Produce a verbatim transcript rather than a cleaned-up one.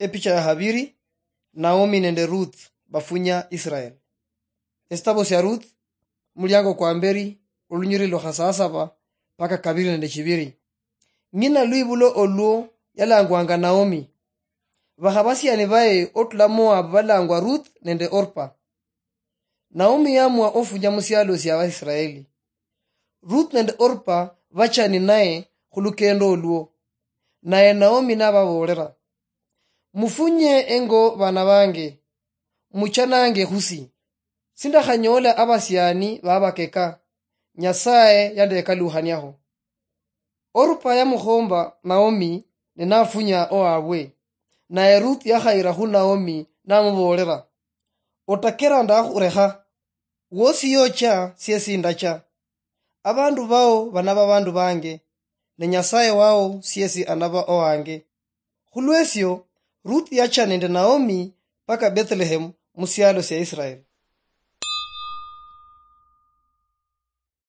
Epicha ya habiri. Naomi nende Ruth bafunya Israel. Esitabo sia Ruth, muliango kwa mberi, olunyiriri lwa khasasaba paka kabiri nende chibiri. Ng'ina lwibulo olwo yalangwanga Naomi. Bakhabasiani baye otula Moab balangwa Ruth nende Orpa. Naomi yamua ofunya musialo sia Abaisraeli. Ruth nende Orpa bachani naye khulukendo olwo. Naye Naomi nababoolera, "Mufunye engo bana bange, muchanange khusi. Sindakhanyoola abasiani babakeka, Nyasaye yandekalukhaniakho." Orpa yamukhomba Naomi ne nafunya owabwe. Naye Ruth yakhayira khu Naomi namuboolera, "Otakera ndakhurekha, wosi yocha siesi ndacha. Abandu bao banaba abandu bange, ne Nyasaye wao siesi anaba owange." Khulwesio, Ruth yacha nende Naomi paka Bethlehem musialo sia Israel.